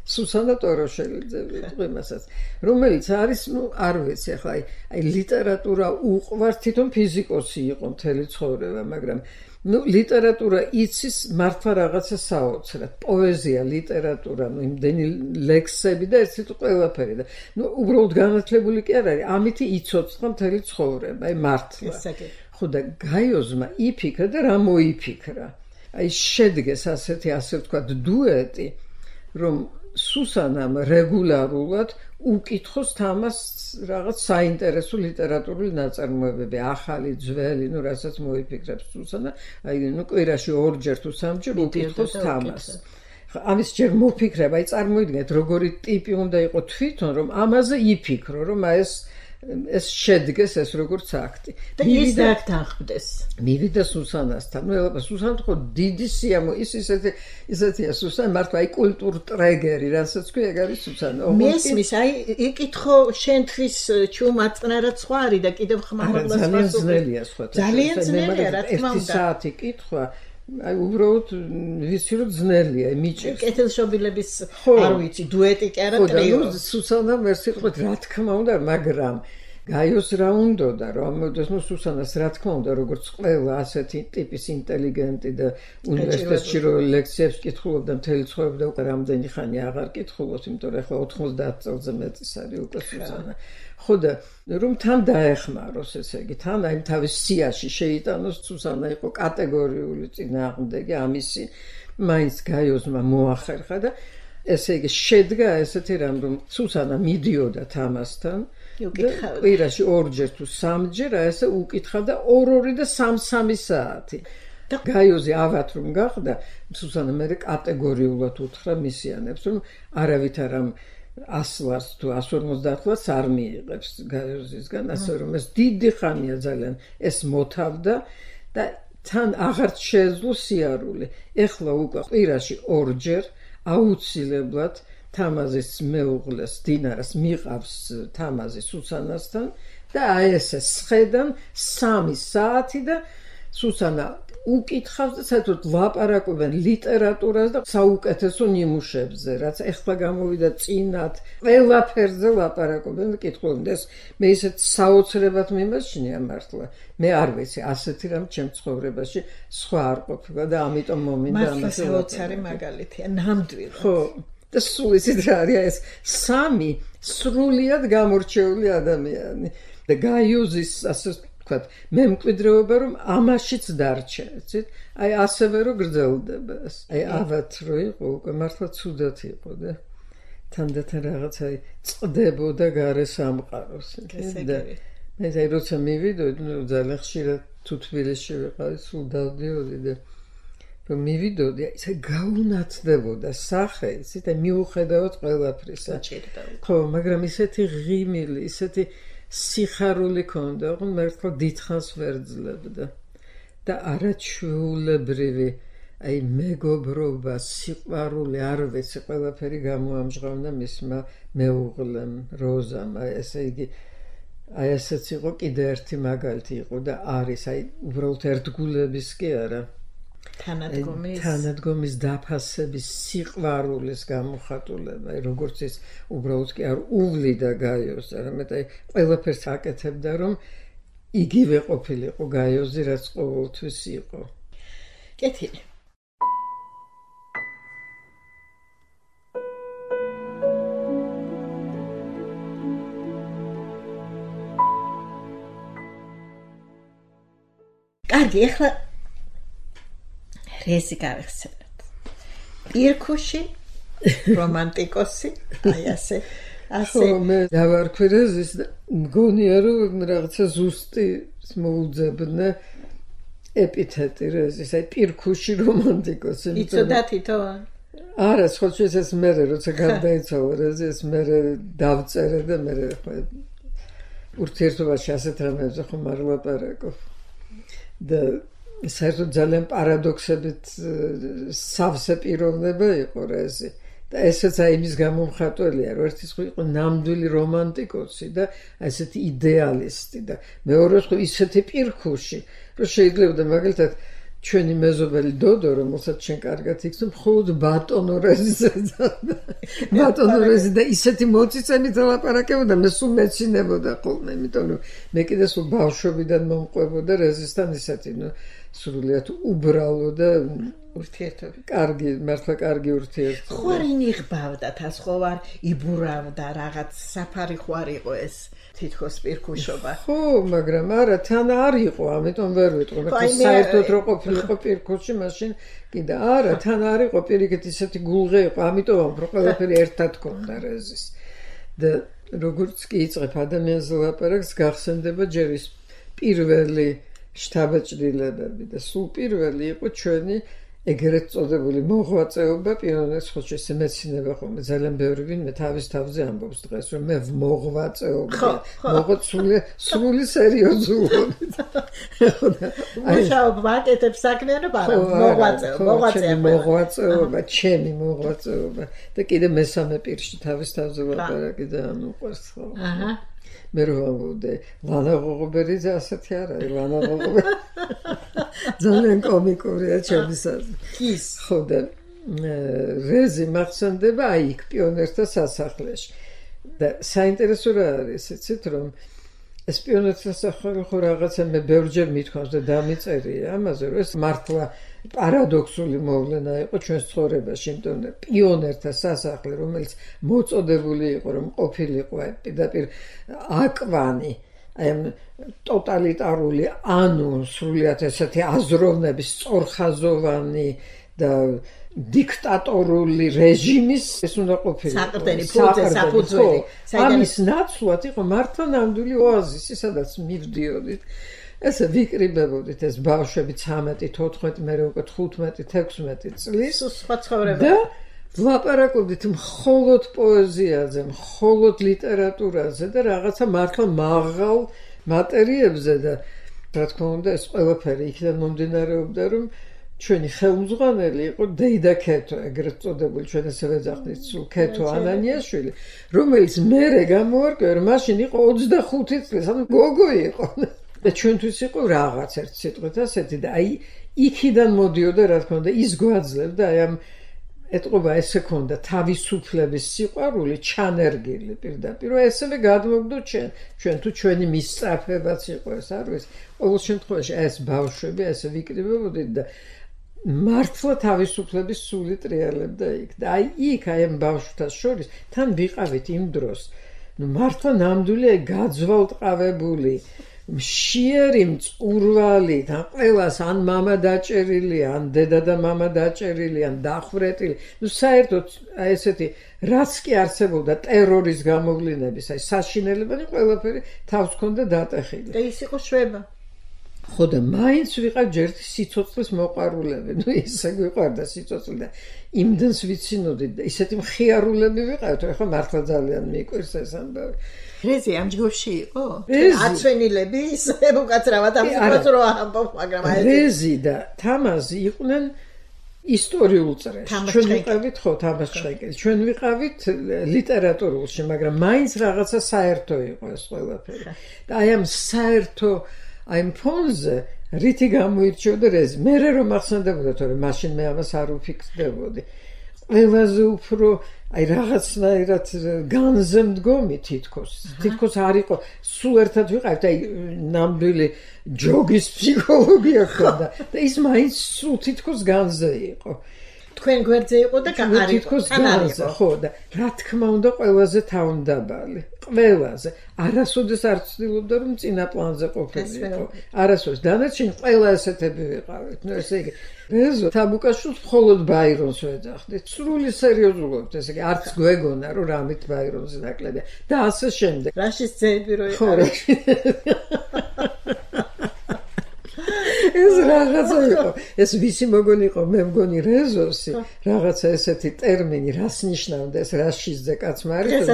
სუსანა ტოროშელიძე ვიტყვიმასაც რომელიც არის ნუ არ ვიცი ახლა აი ლიტერატურა უყვარს თვითონ ფიზიკოსი იყო მთელი ცხოვრება მაგრამ ნუ ლიტერატურა იცის მართლა რაღაცა საოცრად პოეზია ლიტერატურა ნუ იმდენი ლექსები და ერთით ყველაფერი და ნუ უბრალოდ განათლებული კი არ არის ამით იცოცხლა მთელი ცხოვრება აი მართლა ხო და გაიოზმა იფიქრა და რა მოიფიქრა აი შედგეს ასეთი ასე ვთქვათ დუეტი რომ სუსანამ რეგულარულად უკითხოს თამას რაღაც საინტერესო ლიტერატურული ნაწარმოებები ახალი ძველი ნუ რასაც მოიფიქრებს სუსანა აი ნუ კვირაში ორჯერ თუ სამჯერ უკითხოს თამას ამის ჯერ მოფიქრება აი წარმოიდგინეთ როგორი ტიპი უნდა იყოს თვითონ რომ ამაზე იფიქრო რომ ეს შედგეს ეს როგორც აქტი და ის დაგთანხმდეს მივიდა სუსანასთან ნუ ელაპა სუსანა ხო დიდი სიამო ის ისეთია სუსანა მართლა აი კულტურ ტრეგერი რასაც ქვია ეგ არის სუსანა მესმის აი იკითხო შენთვის ჩუმაწნარა სხვა არის და კიდევ ხმამაღლა ძალიან ძნელია სხვა ძალიან ძნელია რა თქმა უნდა 1 საათი კითხვა აი უბრალოდ ვიცი რომ ძნელია მიჭირს კეთილშობილების არ ვიცი დუეტი კი არა ტრიო სუსანა მერსი თქვით რა თქმა უნდა მაგრამ გაიოს რა უნდა და რომ ამოდეს ნუ სუსანას რა თქმა უნდა როგორც ყველა ასეთი ტიპის ინტელიგენტი და უნივერსიტეტში რო ლექციებს კითხულობდა მთელი ცხოვრება და უკვე რამდენი ხანი აღარ კითხულობს იმიტომ რომ ახლა 90 წელზე მეტის არის უკვე სუსანა ხო და რომ თან დაეხმაროს ესე იგი თან აი თავის სიაში შეიტანოს სუსანა იყო კატეგორიული წინააღმდეგი ამისი მაინც გაიოზმა მოახერხა და ესე იგი შედგა ესეთი რამ რომ სუსანა მიდიოდა თამასთან კვირაში ორჯერ თუ სამჯერ ესე უკითხავდა 2 და 3 საათი გაიოზი ავად რომ გახდა სუსანა მე კატეგორიულად უთხრა მისიანებს რომ არავითარ ამ 100 ლარს თუ 150 ლარს არ მიიღებს გაიოზისგან ასე რომ ეს დიდი ხანია ძალიან ეს მოთავდა და თან აღარ შეეძლო სიარული ეხლა უკვე კვირაში ორჯერ აუცილებლად თამაზის მეუღლეს დინარას მიყავს თამაზი სუსანასთან და აი ესე სხედან 3 საათი და სუსანა უკითხავს და საერთოდ ლაპარაკობენ ლიტერატურას და საუკეთესო ნიმუშებზე რაც ეხლა გამოვიდა წინათ ყველაფერზე ლაპარაკობენ და კითხულობენ ეს მე ისეთ საოცრებად მიმაჩნია მართლა მე არ ვიცი ასეთი რამ ჩემ ცხოვრებაში სხვა არ ყოფილა და ამიტომ მომინდა მართლა საოცარი მაგალითია ნამდვილად ხო და სულ ისეთ რა არის ეს 3 სრულიად გამორჩეული ადამიანი და გაიოზის ასე ვთქვათ მე მკვიდრეობა რომ ამაშიც დარჩა იცით აი ასევე რომ გრძელდება ეს აი ავად რო იყო უკვე მართლა ცუდად იყო და თანდათან რაღაცა წდებოდა გარე სამყაროს და მე ზაი როცა მივიდოდი ძალიან ხშირად თუ თბილისში ვიყავი სულ დავდიოდი და რომ მივიდოდი ისე გაუნათდებოდა სახე იცით აი მიუხედავად ყველაფრისა ხო მაგრამ ისეთი ღიმილი ისეთი სიხარული ქონდა, რომ მართლა დიდხანს ვერ ძლებდა და არაჩვეულებრივი აი მეგობრობა, სიყვარული, არ ვიცი, ყველაფერი გამოამჟღავნა მისმა მეუღლემ, როზამ, აი ესე იგი აი ესეც იყო კიდე ერთი მაგალითი იყო და არის აი უბრალოდ ერთგულების კი არა თანადგომის დაფასების სიყვარულის გამოხატულება როგორც ის უბრალოდ კი არ უვლიდა გაიოს არამედ აი ყველაფერს აკეთებდა რომ იგივე ყოფილიყო გაიოზი რაც ყოველთვის იყო კეთილი კარგი ეხლა რეზი გავიხსენოთ. პირქუში, რომანტიკოსი, აი ასე. ხო, მე დავარქვი რეზის და მგონია რომ რაღაცა ზუსტი მოუძებნა ეპითეტი რეზის, აი პირქუში რომანტიკოსი. იცოდა თითო? არა, სხვა ეს მე როცა გარდაიცვალა რეზი, ეს მე დავწერე და მე ხო ურთიერთობაში ასეთ რამებზე ხომ არ ვლაპარაკობ. და საერთოდ ძალიან პარადოქსებით სავსე პიროვნება იყო რეზი და ესეც აი იმის გამომხატველია რომ ერთის ხო იყო ნამდვილი რომანტიკოსი და ესეთი იდეალისტი და მეორე ხო ისეთი პირქუში რომ შეიძლება მაგალითად ჩვენი მეზობელი დოდო რომელსაც ჩვენ კარგად იცნობ მხოლოდ ბატონო რეზი და ისეთი მოწიწებით ლაპარაკებოდა მე სულ მეცინებოდა ხოლმე იმიტომ რომ მე კიდე სულ ბავშვობიდან მომყვებოდა რეზისთან ისეთი სრულიად უბრალო და ურთიერთობა. კარგი, მართლა კარგი ურთიერთობა. ხო არ ინიღბავდა თას ხო არ იბურავდა რაღაც საფარი ხო არ იყო ეს თითქოს პირქუშობა. ხო, მაგრამ არა, თან არ იყო, ამიტომ ვერ ვიტყვი. მაგრამ საერთოდ რო ყოფილიყო პირქუში, მაშინ კიდე არა, თან არ იყო პირიქით ისეთი გულღე იყო, ამიტომ რომ ყველაფერი ერთად ქონდა რეზის. და როგორც კი იწყებ ადამიანზე ლაპარაკს, გახსენდება ჯერ ის პირველი შთაბეჭდილებები და სულ პირველი იყო ჩვენი ეგრეთ წოდებული მოღვაწეობა პიონერის ხოჭში ეს მეცინება ხოლმე ძალიან ბევრი ვინმე თავის თავზე ამბობს დღეს რომ მე მოღვაწეობა სრული სერიოზულობით მუშაობა აკეთებს საქმიანობა მოღვაწეობა ჩემი მოღვაწეობა და კიდე მესამე პირში თავის თავზე ლაპარაკი და უყვარს ხო აჰა მე რომ ლანა ღოღობერიძე ასეთი არ არის ლანა ღოღობერიძე ძალიან კომიკურია ჩემისას ის ხო და რეზი მახსენდება აი იქ პიონერთა სასახლეში და საინტერესო რა არის იცით რომ ეს პიონერთა სასახლე ხო რაღაცა მე ბევრჯერ მithქვამს და დამიწერია ამაზე რომ ეს მართლა პარადოქსული მოვლენა იყო ჩვენს ცხოვრებაში იმიტომ რომ პიონერთა სასახლე რომელიც მოწოდებული იყო რომ ყოფილიყო პირდაპირ აკვანი აი ტოტალიტარული ანუ სრულიად ესეთი აზროვნების სწორხაზოვანი და დიქტატორული რეჟიმის ეს უნდა ყოფილიყო. საყრდენი ფუძე, საფუძველი. ამის ნაცვლად იყო მართლა ნამდვილი ოაზისი, სადაც მივდიოდით. ესე ვიკრიბებოდით ეს ბავშვები 13, 14, მე უკვე 15, 16 წლის სხვა ცხოვრება. და ვლაპარაკობდით მხოლოდ პოეზიაზე, მხოლოდ ლიტერატურაზე და რაღაცა მართლა მაღალ მატერიებზე და რა თქმა უნდა ეს ყველაფერი იქიდან მომდინარეობდა რომ ჩვენი ხელმძღვანელი იყო დეიდა ქეთო, ეგრეთ წოდებული ჩვენ ესე ვეძახდით სულ ქეთო ანანიაშვილი, რომელიც მერე გამოვარკვია რომ მაშინ იყო 25 წლის, ანუ გოგო იყო. და ჩვენთვის იყო რაღაც ერთ სიტყვით ასეთი და აი იქიდან მოდიოდა რა თქმა უნდა ის გვაძლევდა აი ამ ეტყობა ესე ქონდა თავისუფლების სიყვარული ჩანერგილი პირდაპირ ესევე გადმოგდო ჩვენ თუ ჩვენი მისწრაფებაც იყო ეს არ ვიცი ყოველ შემთხვევაში ეს ბავშვები ესე ვიკრიბებოდით და მართლა თავისუფლების სული ტრიალებდა იქ და აი იქ აი ამ ბავშვთა შორის თან ვიყავით იმ დროს ნუ მართლა ნამდვილი აი გაძვალტყავებული მშიერი მწყურვალი და ყველას ან მამა დაჭერილი, ან დედა და მამა დაჭერილი, ან დახვრეტილი. ნუ საერთოდ აი ესეთი რაც კი არსებობდა ტერორის გამოვლინების, აი საშინელებანი ყველაფერი თავს ჰქონდა დატეხილი. და ის იყო შვება. ხო და მაინც ვიყავ ჯერთი სიცოცხლის მოყვარულები. ნუ ისე გვიყვარდა სიცოცხლე და იმდენს ვიცინოდით და ისეთი მხიარულები ვიყავთ, რომ ახლა მართლა ძალიან მიყვარს ეს ამბავი. რეზი ამ ჯგუფში იყო? აცვენილები ისე უკაცრავად ამბობს რომ ამბობ, მაგრამ აი რეზი და თამაზი იყვნენ ისტორიულ წრეში. ჩვენ ვიყავით ხო თამაზ ჩხეკელი. ჩვენ ვიყავით ლიტერატურულში, მაგრამ მაინც რაღაცა საერთო იყო ეს ყველაფერი. და აი ამ საერთო აი ამ ფონზე რითი გამოირჩეოდა რეზი. მე რომ ახსენდებოდა თორემ მაშინ მე ამას არ ვფიქრდებოდი. ყველაზე უფრო აი რაღაცნაირად განზე მდგომი თითქოს არ იყო სულ ერთად ვიყავით აი ნამდვილი ჯოგის ფსიქოლოგია ხოდა და ის მაინც სულ თითქოს განზე იყო თქვენ გვერდზე იყო და არ იყო განზე ხო და რა თქმა უნდა ყველაზე თავმდაბალი ყველაზე არასოდეს არ ცდილობდა რომ წინა პლანზე ყოფილიყო არასოდეს დანარჩენი ყველა ესეთები ვიყავით ნუ ესე იგი რეზო თაბუკაშვილს მხოლოდ ბაირონს ვეძახდით სრული სერიოზულობით ესე იგი არც გვეგონა რომ რამით ბაირონზე ნაკლებია და ასე შემდეგ რაშის ძეები რო იყო ეს რაღაცა იყო ეს ვისი მოგონი იყო მე მგონი რეზოსი რაღაცა ესეთი ტერმინი რას ნიშნავდა ეს რაშიზზე კაცმა არის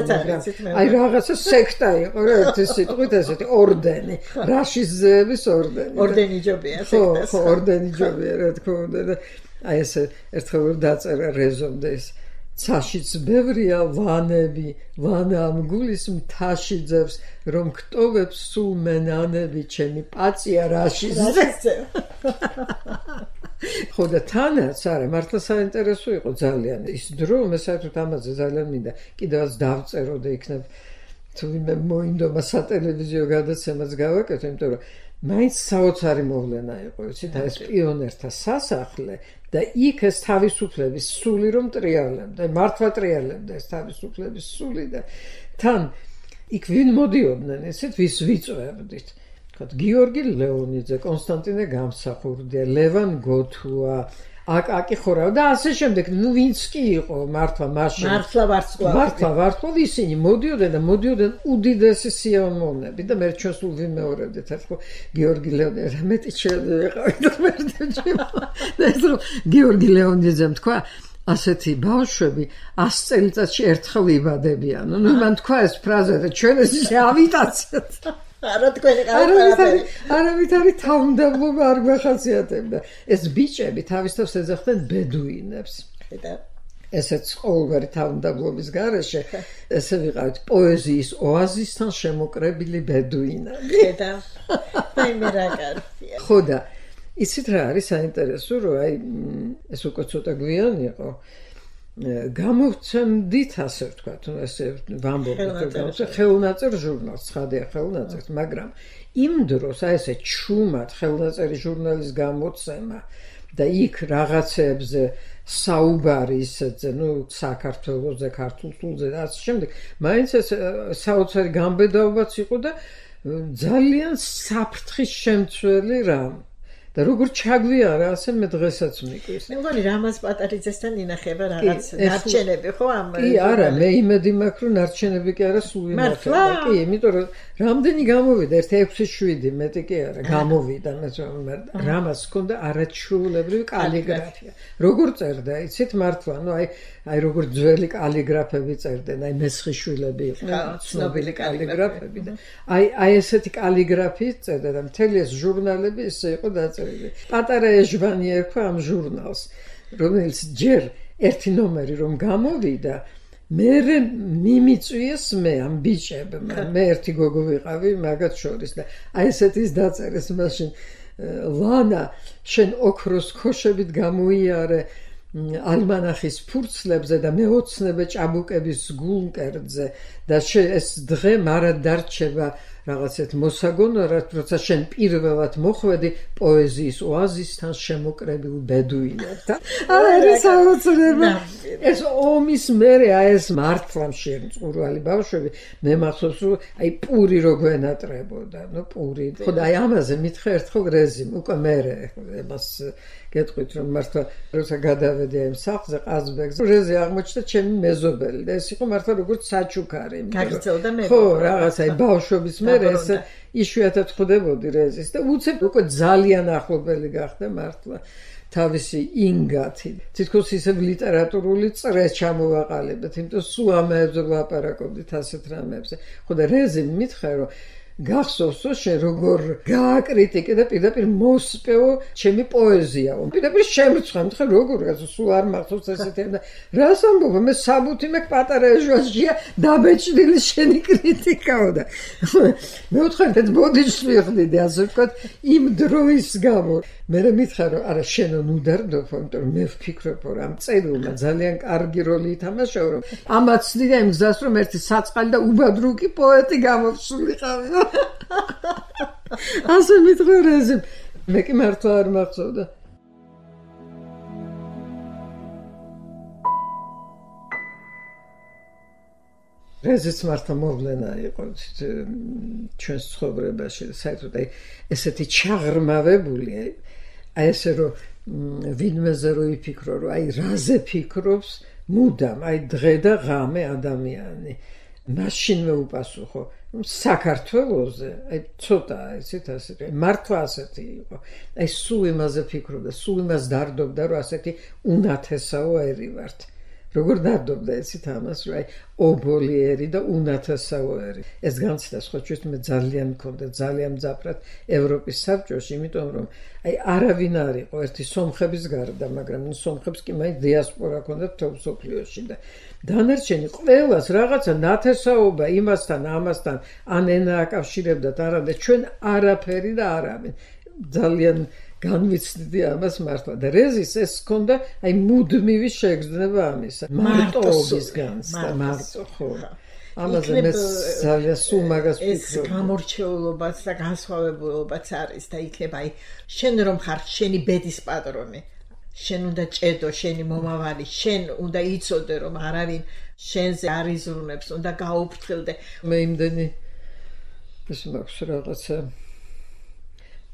აი რაღაცა სექტა იყო რა ერთი სიტყვით ესეთი ორდენი რაშიზების ორდენი ჯობია სექტას ხო ორდენი ჯობია რა თქმა უნდა და აი ესე ერთხელ დაწერა რეზომდე ეს ცაშიც ბევრია ვანები ვანა ამ გულის მთაში ძევს რომ გტოვებს სულ მენანები ჩემი პაცია რაშიზე ხო და თანაც არა მართლა საინტერესო იყო ძალიან ის დრო მე საერთოდ ამაზე ძალიან მინდა კიდევაც დავწერო და იქნებ თუ ვინმე მოინდომა სატელევიზიო გადაცემაც გავაკეთო იმიტომ რომ მაინც საოცარი მოვლენა იყო იცით ეს პიონერთა სასახლე და იქ ეს თავისუფლების სული რომ ტრიალებდა მართლა ტრიალებდა ეს თავისუფლების სული და თან იქ ვინ მოდიოდნენ ესეთ ვის ვიწვევდით თქო გიორგი ლეონიძე კონსტანტინე გამსახურდია ლევან გოთუა აკაკი ხორავ და ასე შემდეგ ნუ ვინც კი იყო მართლა მაშინ მართლა ვარსკვლავი ისინი მოდიოდნენ უდიდესი სიამოვნები და მე ჩვენს სულ ვიმეორებდით ერთხელ გიორგი ლეონიძე მეტი შეეყავით და ეს რომ გიორგი ლეონიძემ თქვა ასეთი ბავშვები 100 წელიწადში ერთხელ იბადებიან ნუ მან თქვა ეს ფრაზა და ჩვენ ეს ავიტაციოთ არა თქვენი ყველაფერი არავით არის თავმდაბლობა არ გვახასიათებდა ეს ბიჭები თავისთავად ეძახდნენ ბედუინებს და ესეც ყოველგვარი თავმდაბლობის გარეშე ესე ვიყავით პოეზიის ოაზისთან შემოკრებილი ბედუინები და მე რა კარგია ხო და იცით რა არის საინტერესო რომ აი ეს უკვე ცოტა გვიანი იყო გამოვცემდით ასე ვთქვათ ესე ვამბობთ ხელნაწერ ჟურნალს ცხადია ხელნაწერს მაგრამ იმ დროს აი ესე ჩუმად ხელნაწერი ჟურნალის გამოცემა და იქ რაღაცებზე საუბარი ისეთზე ნუ საქართველოზე ქართულზე და ასე შემდეგ მაინც ეს საოცარი გამბედაობაც იყო და ძალიან საფრთხის შემცველი რამ და როგორ ჩაგვიარა, ასე მე დღესაც მიყვის. მე მგონი რამაზ პატარიძესთან ინახება რაღაც ნარჩენები, ხო ამ? კი, არა, მე იმედი მაქვს, რომ ნარჩენები კი არა, სულ ინახება. კი, იმიტომ რომ რამდენი გამოვიდა, 1-6-7, მეტი კი არა, გამოვიდა, რამას ჰქონდა არაჩვეულებრივი კალიგრაფია. როგორ წერდა, იცით მართლა, აი როგორ ძველი კალიგრაფები წერდნენ, აი მესხიშვილები იყვნენ, ცნობილი კალიგრაფები და აი ესეთი კალიგრაფიით წერდა და მთელი ეს ჟურნალები ისე იყო დაწერილი. პატარა ეჟვანი ერქვა ამ ჟურნალს, რომელიც ჯერ ერთი ნომერი რომ გამოვიდა, მე მიმიწვიეს მე ამ ბიჭებმა, მე ერთი გოგო ვიყავი მაგათ შორის და აი ესეთის დაწერეს მაშინ ლანა შენ ოქროს ქოშებით გამოიარე ალმანახის ფურცლებზე და მეოცნებე ჭაბუკების გულმკერდზე და ეს დღე მარად დარჩება რაღაცეთ მოსაგონად, როცა შენ პირველად მოხვედი პოეზიის ოაზისთან შემოკრებილ ბედუინებთან. არის აუცილებლად ეს ომის მერე ეს მართლა მშენწურვალი ბავშვები მე მახსოვს რომ აი პური რო გვენატრებოდა, პური. ხო და აი ამაზე მითხრა ერთხელ რეზიმ უკვე მერე მას გეტყვით რომ მართლა როცა გადავედი ამ სახლზე ყაზბეგზე რეზი აღმოჩნდა ჩემი მეზობელი და ეს იყო მართლა როგორც საჩუქარი. გაგრძელდა მე. ხო რაღაცა აი ბავშვობის მერე ეს იშვიათად ხვდებოდი რეზის და უცებ უკვე ძალიან ახლობელი გახდა მართლა თავისი ინგათი. თითქოს ისევ ლიტერატურული წრეს ჩამოვაყალიბეთ, იმიტომ სულ ამებზე ვლაპარაკობდით ასეთ რამებზე. ხო და რეზიმ მითხრა რომ გახსოვს შენ როგორ გააკრიტიკე და პირდაპირ მოსპეო ჩემი პოეზიაო. პირდაპირ შემრცხა, მითხარ როგორ სულ არ მახსოვს ესეთი და რას ამბობ მე საბუთი მე პატარა ეჟვანშია დაბეჭდილი შენი კრიტიკაო და მე ვთხარ ეს ბოდიშს ვიხდიდი ასე ვთქვათ იმ დროის გამო. მე მითხარ რომ არა შენო ნუდარდოფ, იმიტომ რომ მე ვფიქრობ რომ ამ წერილმა ძალიან კარგი როლი ითამაშა რომ ამაც დიდა იმ გზას რომ ერთი საწყალი და უბადრუკი პოეტი გამოვსულიყავი. ასე მითხრა რეზიმ მე კი მართლა არ მახსოვდა. რეზიც მართლა მოვლენა იყო ჩვენს ცხოვრებაში საერთოდ აი ესეთი ჩაღრმავებული აი ესე რომ ვინმეზე რო იფიქრო რომ აი რაზე ფიქრობს მუდამ აი დღე და ღამე ადამიანი მაშინვე უპასუხო საქართველოზე აი ცოტა ისეთ ასეთი მართლა ასეთი იყო აი სულ იმაზე ფიქრობდა სულ იმას დარდობდა რომ ასეთი უნათესაო ერი ვართ როგორ დარდობდა ესეთ ამას რომ აი ობოლიერი და უნათესაო ერი ეს განცდა სხვა ჩვენ მე ძალიან მქონდა ძალიან მძაფრად ევროპის საბჭოში იმიტომ რომ აი არავინ არ იყო ერთი სომხების გარდა მაგრამ სომხებს კი მაინც დიასპორა ჰქონდათ თელ მსოფლიოში და დანარჩენი ყველას რაღაცა ნათესაობა იმასთან ამასთან ან ენა აკავშირებდათ არა და ჩვენ არაფერი და არავინ ძალიან განვიცდიდი ამას მართლა და რეზის ეს ჰქონდა აი მუდმივი შეგრძნება ამისა მარტოობის განცდა მარტო ხო ამაზე მე ძალიან სულ მაგას ვფიქრობ ეს გამორჩეულობაც და განსხვავებულობაც არის და იქნება აი შენ რომ ხარ შენი ბედის პატრონი შენ უნდა ჭედო შენი მომავალი შენ უნდა იცოდე რომ არავინ შენზე არ იზრუნებს უნდა გაუფრთხილდე მე იმდენი ეს მაქვს რაღაცა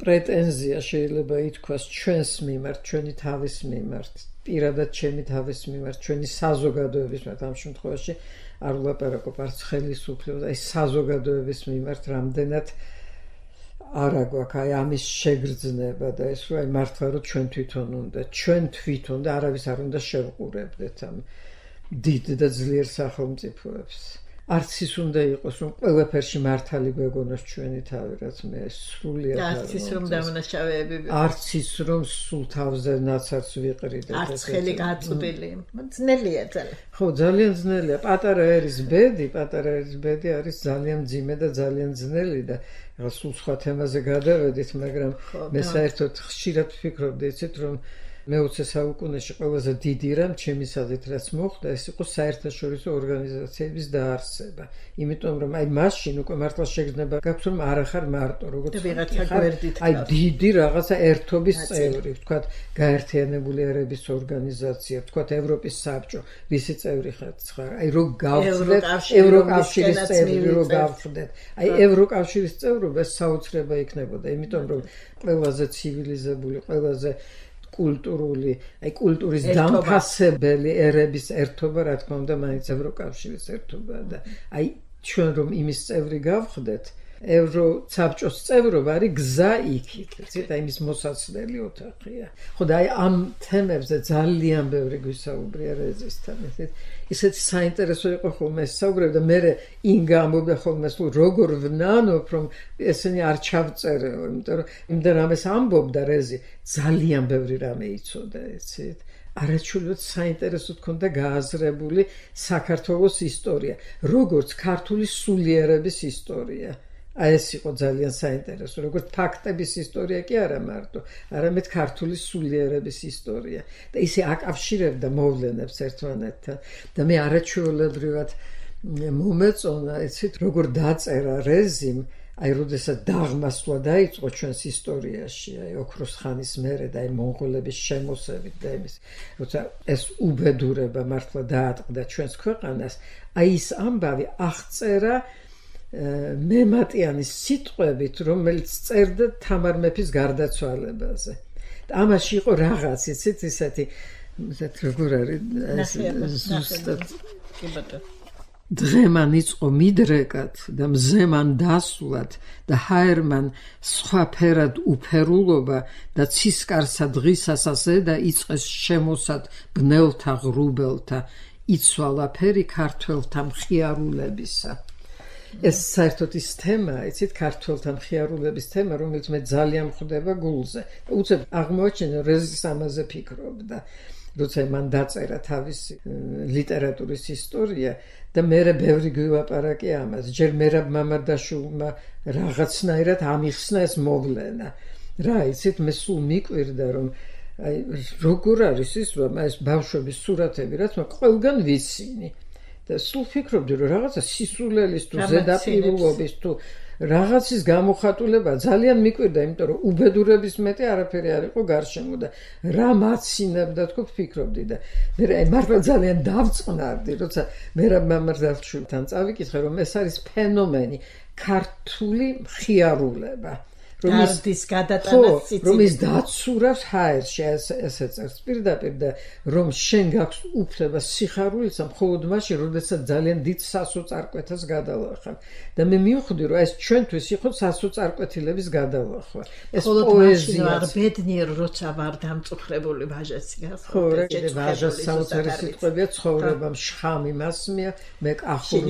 პრეტენზია შეიძლება ითქვას ჩვენს მიმართ ჩვენი თავის მიმართ პირადად ჩემი თავის მიმართ ჩვენი საზოგადოების მიმართ ამ შემთხვევაში არ ვლაპარაკობ არც ხელისუფლებას აი საზოგადოების მიმართ რამდენად არა გვაქვს აი ამის შეგრძნება და ეს რომ აი მართლა რომ ჩვენ თვითონ და არავის არ უნდა შევყურებდეთ ამ დიდ და ძლიერ სახელმწიფოებს არც ის უნდა იყოს რომ ყველაფერში მართალი გვეგონოს ჩვენი თავი რაც მე სრულიად არც ის რომ დამნაშავეები არც ის რომ სულ თავზე ნაცარს ვიყრიდეთ არც ხელი გაწვდილი ძნელია ძალიან ხო ძალიან ძნელია პატარა ერის ბედი არის ძალიან მძიმე და ძალიან ძნელი და სულ სხვა თემაზე გადავედით მაგრამ მე საერთოდ ხშირად ვფიქრობდი იცით რომ მე-20 საუკუნეში ყველაზე დიდი რამ ჩემი აზრით რაც მოხდა, ეს იყო საერთაშორისო ორგანიზაციების დაარსება. იმიტომ რომ აი მაშინ უკვე მართლა შეგრძნება გაქვს რომ არ ახარ მარტო როგორც აი დიდი რაღაცა ერთობის წევრი, ვთქვათ, გაერთიანებული ერების ორგანიზაცია, ვთქვათ, ევროპის საბჭო, ვისი წევრი ხარ? აი რო გავხდეთ ევროკავშირის წევრი, რო გავხდეთ. აი ევროკავშირის წევრობა საოცრება იქნებოდა, იმიტომ რომ ყველაზე ცივილიზებული, ყველაზე კულტურული, აი კულტურის დამფასებელი ერების ერთობა, რა თქმა უნდა, მაინც ევროკავშირის ერთობაა და აი ჩვენ რომ იმის წევრი გავხდეთ, ევროსაბჭოს წევრობა არის გზა იქით, იცით, აი იმის მოსაცდელი ოთახია. ხო და აი ამ თემებზე ძალიან ბევრი გვისაუბრია რეზისთან, იცით. ისეთი საინტერესო იყო ხოლმე საუბრები და მე ინგა ამბობდა ხოლმე სულ როგორ ვნანობ რომ ესენი არ ჩავწერეო, იმიტომ რომ იმდენ რამეს ამბობდა რეზი, ძალიან ბევრი რამე იცოდა, იცით. არაჩვეულებრივად საინტერესო თქონდა გააზრებული საქართველოს ისტორია, როგორც ქართული სულიერების ისტორია. აი ეს იყო ძალიან საინტერესო, როგორც ფაქტების ისტორია კი არა მარტო, არამედ ქართული სულიერების ისტორია და ისე აკავშირებდა მოვლენებს ერთმანეთთან და მე არაჩვეულებრივად მომეწონა, იცით, როგორ დაწერა რეზიმ, აი როდესაც დაღმასვლა დაიწყო ჩვენს ისტორიაში, აი ოქროს ხანის მერე და აი მონღოლების შემოსევით და იმის, როცა ეს უბედურება მართლა დაატყდა ჩვენს ქვეყანას, აი ის ამბავი აღწერა მემატიანის სიტყვებით, რომელიც წერდა თამარ მეფის გარდაცვალებაზე. და ამაში იყო რაღაც, იცით, ისეთი როგორ არის ზუსტად დღემან იწყო მიდრეკად და მზემან დასვლად და ჰაერმან სხვა ფერად უფერულობა და ცისკარსა დღისასაზე და იწყეს შემოსად ბნელთა ღრუბელთა იცვალა ფერი ქართველთა მხიარულებისა. ეს საერთოდ ის თემაა, იცით, ქართველთა მხიარულების თემა, რომელიც მე ძალიან მხვდება გულზე. უცებ აღმოაჩინე რეზის ამაზე ფიქრობდა, როცა მან დაწერა თავისი ლიტერატურის ისტორია და მე ბევრი გვივაპარაკე ამას. ჯერ მერაბ მამარდაშვილმა რაღაცნაირად ამიხსნა ეს მოვლენა. რა, იცით, მე სულ მიკვირდა, რომ აი როგორ არის ის, რომ ეს ბავშვების სურათები, რაც მე ყველგან ვიცინი. და სულ ფიქრობდი, რომ რაღაცა სისულელის თუ ზედაპირულობის თუ რაღაცის გამოხატულება ძალიან მიკვირდა, იმიტომ რომ უბედურების მეტი არაფერი არ იყო გარშემო და რა მაცინებდა თქო ფიქრობდი და მე აი მართლა ძალიან დავწყნარდი, როცა მერაბ მამარდაშვილთან წავიკითხე, რომ ეს არის ფენომენი, ქართული მხიარულება. გარდის გადატანას ციცი. რომ ის დაცურავს ჰაერში, ესე წერს პირდაპირ და რომ შენ გაქვს უფლება სიხარულისა მხოლოდ მაშინ, როდესაც ძალიან დიდ სასოწარკვეთას გადალახავ. და მე მივხვდი, რომ ეს ჩვენთვის იყო სასოწარკვეთილების გადალახვა. ეს პოეზია არ ბედნიერ როცა ვარ დამწუხრებული ვაჟაცი გახდა. ხო, ვაჟას საოცარი სიტყვებია ცხოვრებამ შხამი მასმია, მე კახურ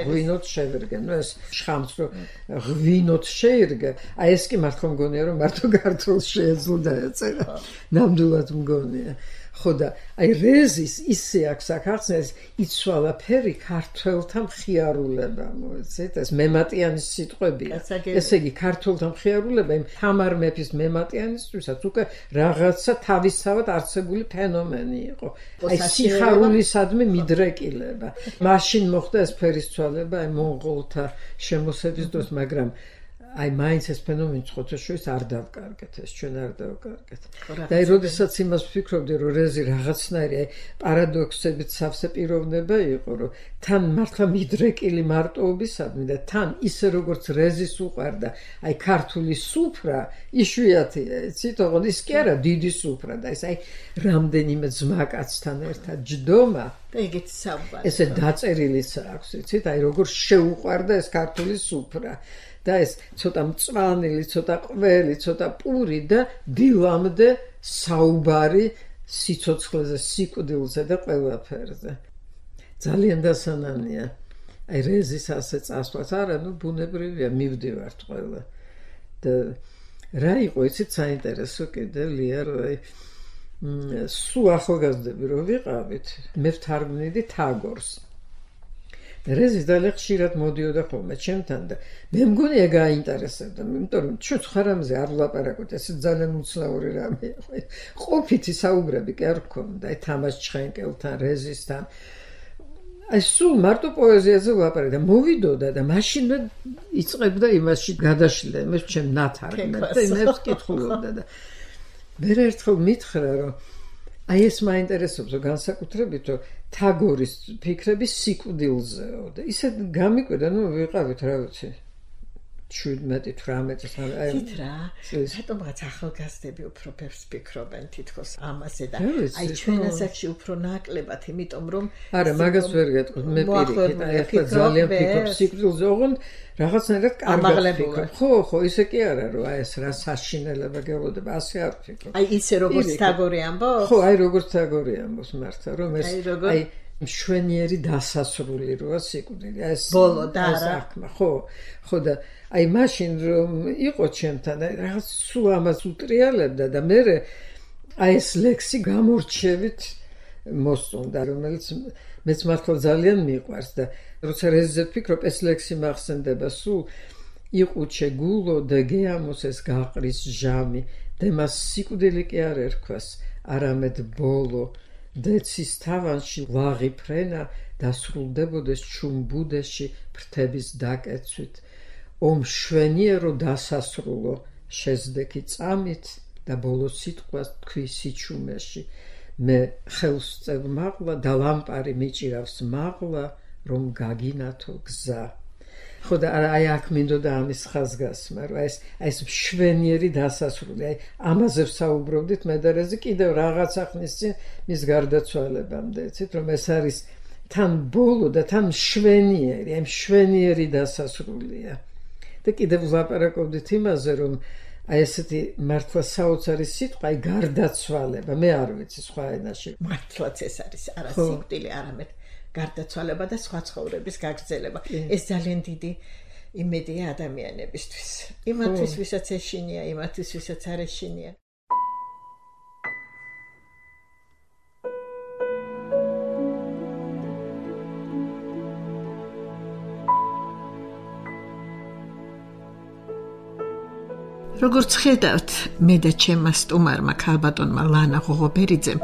ღვინოთ შევერგე. ნუ ეს შხამს რო ღვინოთ შეირგე, აი ეს მართლა მგონია რომ მარტო ქართულს შეეძლო დაეწერა. ნამდვილად მგონია. ხო და აი რეზის ისე აქვს ახსნეს იცვალა ფერი ქართველთა მხიარულება, მოიცით, ეს მემატიანის სიტყვებია. ესე იგი ქართველთა მხიარულება იმ თამარ მეფის მემატიანისთვისაც უკვე რაღაცა თავისთავად არსებული ფენომენი იყო. აი სიხარულისადმი მიდრეკილება. მაშინ მოხდა ეს ფერისცვალება აი მონღოლთა შემოსევის დროს, მაგრამ აი მაინც ეს ფენომენი ხოთაშორის არ დავკარგეთ, ეს ჩვენ არ დავკარგეთ. და აი როდესაც იმას ვფიქრობდი, რომ რეზი რაღაცნაირი აი პარადოქსებით სავსე პიროვნება იყო, რომ თან მართლა მიდრეკილი მარტოობისადმი და თან ისე როგორც რეზის უყვარდა, აი ქართული სუფრა იშვიათია, იცით, ოღონდ ის კი არა დიდი სუფრა და ეს აი რამდენიმე ძმაკაცთან ერთად ჯდომა და ეგეც საუბარი. ესე დაწერილიც აქვს, იცით, აი როგორ შეუყვარდა ეს ქართული სუფრა. და ეს ცოტა მწვანილი, ცოტა ყველი, ცოტა პური და დილამდე საუბარი სიცოცხლეზე, სიკვდილზე და ყველაფერზე. ძალიან დასანანია. აი რეზის ასე წასვლას, არა, ნუ ბუნებრივია, მივდივართ ყველა. და რა იყო, იცით, საინტერესო კიდე ლია, რომ სულ ახალგაზრდები რო ვიყავით, მე ვთარგმნიდი თაგორს. რეზი ძალიან ხშირად მოდიოდა ხოლმე ჩემთან და მე მგონი ეგ აინტერესებდა, იმიტომ რომ ჩვენ ხარ ამაზე არ ვლაპარაკობთ, ეს ძალიან უცნაური რამე. ყოფითი საუბრები კი არ გქონდა, თამაშ ჩხენკელთან, რეზისთან. აი სულ მარტო პოეზიაზე ვლაპარაკე და მოვიდოდა და მაშინვე იწყებდა იმაში გადაშლა, მე ჩემ ნათარგმნად და იმებს კითხულობდა და მე ერთხელ მითხრა რომ აი ეს მაინტერესებს განსაკუთრებით რომ თაგორის ფიქრები სიკვდილზეო და ისე გამიკვირდა ნუ ვიყავით რა ვიცი 17-18 წელი თითრა რატომღაც ახალგაზრდები უფრო ბევრს ფიქრობენ თითქოს ამაზე და აი ჩვენ ასაკში უფრო ნაკლებად იმიტომ რომ არა მაგას ვერ გეტყვით მე პირიქით აი ახლა ძალიან ფიქრობ სიკვდილზე ოღონდ რაღაცნაირად კარგად ფიქრობ ხო ისე კი არა რომ აი ეს რა საშინელება გელოდება ასე არ ფიქრობ აი ისე როგორც თაგორი ამბობს ხო აი როგორც თაგორი ამბობს მართლა რომ ეს აი მშვენიერი დასასრული როა სიკვდილი ეს ბოლო და საქმე ხო და აი მაშინ რომ იყო ჩემთან რაღაც სულ ამას უტრიალებდა და მე აი ეს ლექსი გამორჩევით მოსწონდა რომელიც მეც მართლა ძალიან მიყვარს და როცა რეზზე ვფიქრობ ეს ლექსი მახსენდება სულ იყუჩე გულო და გეამოს ეს გაყრის ჟამი და მას სიკვდილი კი არ ერქვას არამედ ბოლო დეცის თავანში ლაღი ფრენა დასრულდებოდეს ჩუმბუდეში ფრთების დაკეცვით ომ შვენიერო დასასრულო შეზდექი წამით და ბოლო სიტყვას თქვი სიჩუმეში მე ხელს წევ მაღლა და ლამპარი მიჭირავს მაღლა რომ გაგინათო გზა ხო და აი აქ მინდოდა ამის ხაზგასმა რომ ეს მშვენიერი დასასრული აი ამაზე ვსაუბრობდით მე და რეზი კიდევ რაღაცა ხნის წინ მის გარდაცვალებამდე იცით რომ ეს არის თან ბოლო და თან მშვენიერი აი მშვენიერი დასასრულია და კიდევ ვლაპარაკობდით იმაზე რომ აი ესეთი მართლა საოცარი სიტყვა აი გარდაცვალება მე არ ვიცი სხვა ენაში მართლაც ეს არის არა სიკვდილი არამედ გარდაცვალება და სხვა ცხოვრების გაგრძელება ეს ძალიან დიდი იმედია ადამიანებისთვის იმათთვის ვისაც ეშინია იმათთვის ვისაც არ ეშინია როგორც ხედავთ მე და ჩემმა სტუმარმა ქალბატონმა ლანა ღოღობერიძემ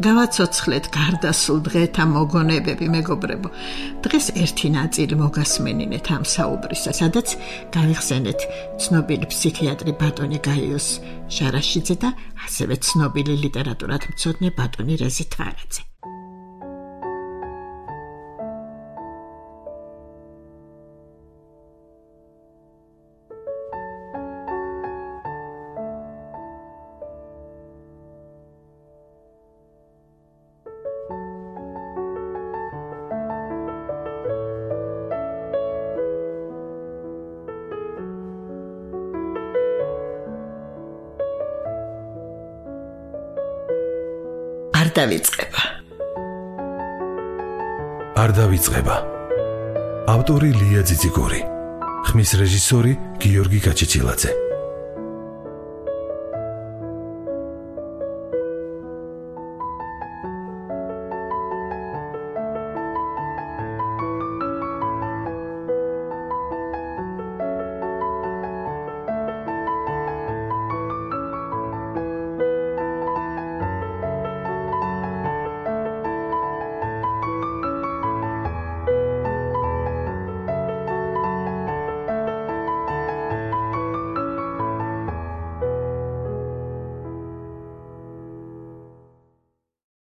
გავაცოცხლეთ გარდასულ დღეთა მოგონებები მეგობრებო დღეს ერთი ნაწილი მოგასმენინეთ ამ საუბრისა სადაც გავიხსენეთ ცნობილი ფსიქიატრი ბატონი გაიოს ჟარაშიძე და ასევე ცნობილი ლიტერატურათმცოდნე ბატონი რეზი თვარაძე არ დავიწყება. ავტორი ლია ძიძიგური. ხმის რეჟისორი გიორგი გაჩეჩილაძე.